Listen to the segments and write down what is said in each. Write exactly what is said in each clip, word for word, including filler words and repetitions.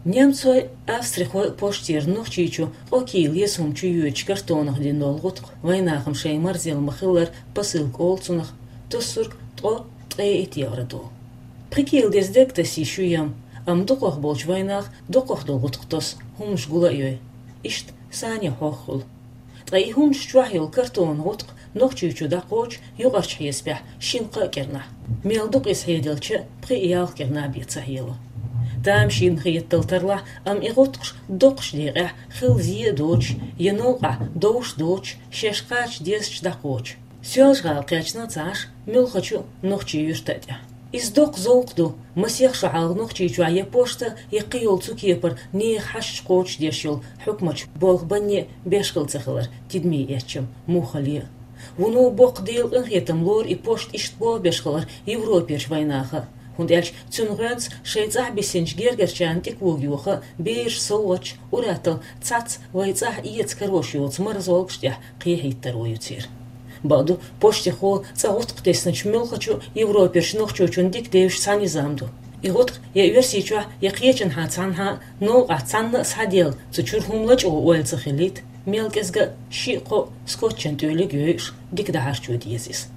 Немцойн, австрихойн поштера Нохчийчу ткъо кийла еза хӀума чу йоьдучу картонах дина долу гӀутакх, вайнахана шайн марзелла ма-хиллара, посылка олу цунах, тоссург ткъо, ткъе итт евро долу. Пхи кийла деза дерг тасийша ю ям, амма дукхах болчу вайнаха доккхах долу гӀутакх тосу, хӀуманаш гул а йой. Иштта санна хьох хуьлу. Ткъа и хӀуманаш чохь йолу картонан гӀутакх Нохчийчу дӀакхочу юкъарчу хьесапехь шина-кхаа кӀирнахь. Мел дукха иза хьеделча а, пхи-ялх кӀирнахь бен ца хьело. Тамашийна хетал тарлахь, амма и гӀутакхаш доккхачу декъехь хилла зен а доцуш, я новкъахь довш доцуш, шаьш кхача дезачу дӀакхочу. Соьлжа-ГӀала кхаьчна а ца Ӏаш, муьлххачу нохчийн юьрта а тӀехь. Иза доккха зовкх ду, масех шо хьалха Нохчийчохь я пошта, я кхин йолу цу кепара нехан хьашташ кхочушдеш йолу хьукматчу болх банне а беш хилла ца хилар, тидаме эцча-м муха хилла а. Вуно боккха Делан къинхетам лору и пошта иштта болх беш хилар Европерчу вайнаха а, хӀунда аьлча цуьнан гӀоьнца шайн цӀахь бисинчу гергарчарна тӀе кога йоха а, бераш совгӀаташ, уьттазза цхьацца вайн цӀахь эца карош йоцу марзолгаш тӀехь кхехьийтаро ю церан. Бакъду, поштехо цкъа гӀутакх тесначу муьлххачу Европерчу нохчочунна дика девзаш цхьа низам ду. И гӀутакх я Оьрсийчохь, я кхечанхьа цхьанхьа а новкъахь цхьанна а схьаделла, цу чуьра хӀума лачкъо ойла ца хилийта, мел кӀезга шиъ-кхоъ скотчан тӀоьллиг йойуш, дика дӀахьарчо деза иза.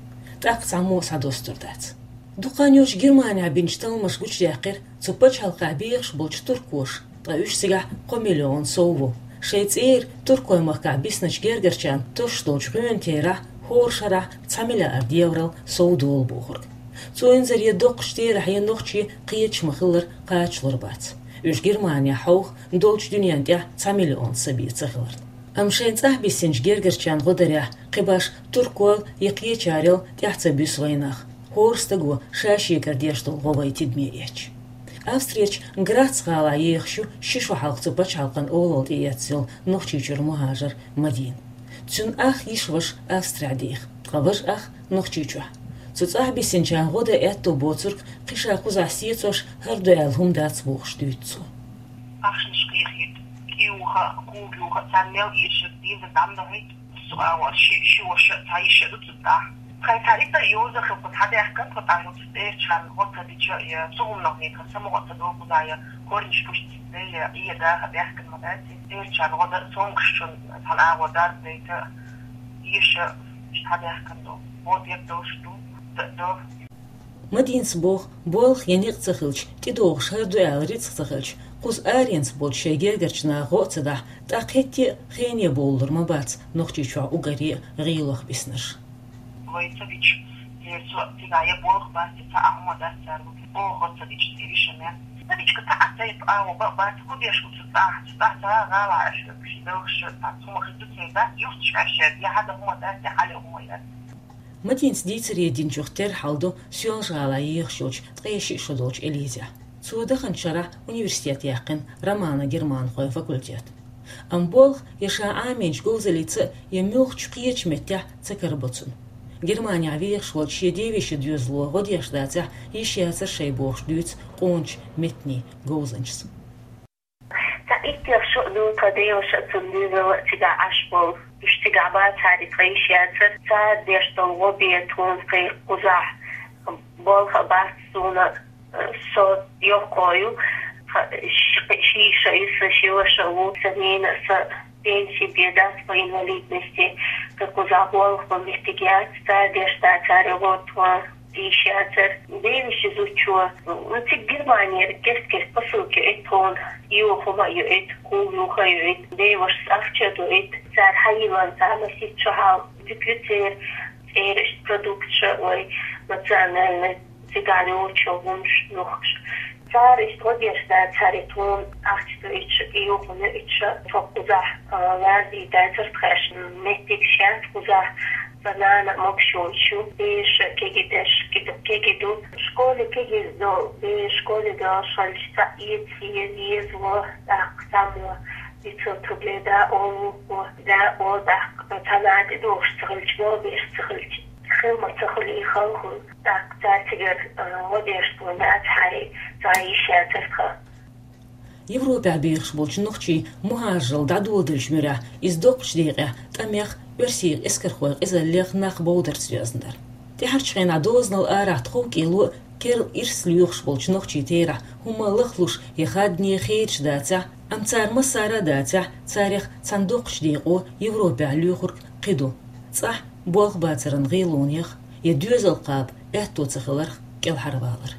ТӀаккха цхьаммо а схьадостур дац. Дукха хан йоццуш Германехь бинчу талламаша гучудаьккхира, цу пачхьалкхехь бехаш болчу туркоша, ткъа уьш цигахь кхо миллион сов ву, шайн цӀера Туркойн махкахь бисначу гергарчарна тосуш долчу гӀоьнан терахь хӀора шарахь цхьа миллиард еврол сов долу бохург. Цу инзаре доккхачу терахье нохчий кхеташ ма-хиллара кхачалур бац, уьш Германехь хьовха долчу дуьненна тӀехь цхьа миллион са бен ца хиларна. Амма шайн цӀахь бисинчу гергарчарна гӀо дарехь, кхин башха туркойла я кхечарел тӀаьхьа ца буьсу вайнах, хӀора стаго ша шегара деш долу гӀо вай тидаме эцча. Австрерчу Грац гӀалахь ехаш ю ши шо хьалха цу пачхьалкхан олалла тӀеэцна йолу Нохчийчуьра мухӀажар Мадина. Цуьнан ах йиша-ваша Австрехь деха, ткъа важа ах Нохчийчохь. Цу цӀахь бисинчарна гӀо дан аьтто боцург кхин ша кхузахь сецош хӀара ду аьлла хӀума дац бохуш дуьйцу цо. Ахчанаш кхехьийта, кӀиюха, кога юха, царна мел эшар дийна дам дахьийта, цу агӀор ши, ши ваша, цхьа йиша ду цу тӀехь. Тхайн цхьа итар йоза хилла, кху схьадаьхкина тхо тӀаккха цу цӀерачарна гӀо ца дича, я цу хӀуманах некъан самукъа ца долу кхузахь, я корниш пусть ца де, я Ӏе даха даьхкина ма дац. ЦӀерачарна гӀо дан, сомкашчунна цхьана агӀор дарба дайта, йиша схьадаьхкина ду, гӀо дерг долуш ду, д-, до. Мадинас боху, болх я некъ ца хилча, тӀедогӀуш хӀара ду аьлла рицкъ ца хилча, кхуза аренца болчу шайн гергарчу наха гӀо а ца дахь, тӀаккха хӀетте а хене бовлур ма бац Нохчийчохь уггаре а гӀийлох биснарш. Вай ца дича, церан цо цигахь я болх бац, я цхьа а хӀума дац цара, оха гӀо ца дича, церан йиша мел. Ца дича, цхьа а сайпа агӀо бан а бац, хӀун деш ву цу цӀахь, цу цӀахь ца гӀала Ӏаш верг, ши белхаш, цхьа хӀума хир ду церан дац, юхташ Ӏаш яц, я хьада хӀума дац, я хьале хӀума яц. Мадинас дийцаре динчух терра хьал ду Соьлжа-ГӀалахь ехаш йолчу ткъе шиъ шо долчу Элизехь. Цо даханчу шарахь университет яьккхина романо-германхойн факультет. Амма болх я ша Ӏамийначу говзаллица, я муьлххачу кхечу меттехь ца карабо цунна. Германехь вехаш волчу шен девешин доьзало гӀо деш дацахь, йиш яцара шайн бохуш дуьйцу къоначу меттанийн говзанчас. Цхьа иттех шо а ду тхан деваша а, цуьнан доьзал а цигахь Ӏаш болу. Уьш цигахь бацахьара, тхан йиш яцара. Цара деш долу гӀо бен тхуна кхин кхузахь болх а бац суна, со йоккха ю. Тхан ши, ши йиша ю, сан ши ваша ву, сан ненан а, сан пенси бен дац по инвалидности. Кхин кхузахь болх бан меттиг яц, цара деш дацахьара гӀо тхуна. Йиш яцара. Девешин зудчо, ну, цига Германера кест-кест посылка йоуьйту тхуна, йоха хӀума а йоуьйту, кога юха а йоуьйту, девашас ахча а доуьйту, цара хьайиллина цхьа масийтта шо хьалха дика ю церан, церан иштта продукцеш а, вай национальный цигахь йолчу хӀуманаш, нохчаша. Цара иштта гӀо деш дацахьара тхуна, ахча доуьйтуш а, йоха хӀума йоуьйтуш а, тхо кхузахь, а, лазийта дацара тхаьш, меттигаш яц кхузахь. Сан нана а могуш йолуш ю, бераш а кегий деш, кегий ду. Школе кегийриг долу бераш школе долуш хилча, цхьаъ эца еза, еза, тӀаккха цхьаммо дицо, тхо бен да олу, да олу, тӀаккха цхьа нана тӀедогӀуш ца хилча, болх беш ца хилча, хила ма ца хуьлий хала хуьлу. ТӀаккха цара цигара, а, гӀо деш тхуна дацахьара, цхьа йиш яцара тхан. Европехь бехаш болчу нохчийн мухӀажаралла дӀадоладеллачу муьрехь, иза доккхачу декъехь тӀамех, оьрсийн эскархойн къизаллех нах бовдарца доьзна дара. ТӀаьхьарчу хенахь дозанал арахь тхов-кӀело а, Керла ирс лоьхуш болчу нохчийн терахь хӀума лахлуш я хадане хеташ дацахь, амма цара массара а дацахь, царех цхьана доккхачу декъо Европехь лоьхург кхин ду. ЦӀахь болх бацаран гӀелонех я доьзал кхаба аьтто ца хиларх кӀелхьарвалар.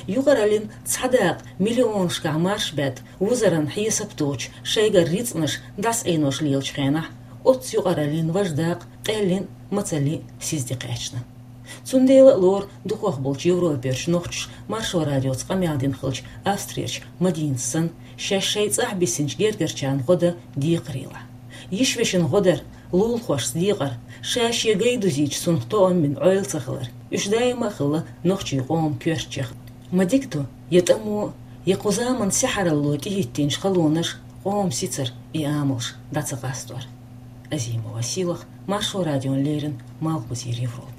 Юкъараллин цхьа дакъа миллионашкахь марш баьдда, вузаран хьесап доцуш, шайгара рицкъанаш дӀасаӀенош лелачу хенахь, оццу юкъараллин важа дакъа къаьллин а, мацаллин а сиз тӀекхаьчна. Цундела а лору дукхах болчу Европерчу нохчаша Маршо радиоца къамел дина хиллачу Австрерчу Мадинас санна, шаьш шайн цӀахь биссинчу гергарчарна гӀо дан декхарийлахь. Йиш-вешин гӀо дар, лулахошца декъар, ша-шен гай дузийча сунах тоам бина Ӏойла ца хилар, уьш даима а хилла нохчийн къоман коьртачех. Ма дика ду, я тӀамо, я кху заманан сехьаралло тӀехӀиттинчу халонаш, къоман сицар и амалш дӀа ца къастор. Азимова Сийлаха, Маршо радиона леррина, Малхбузера Европа.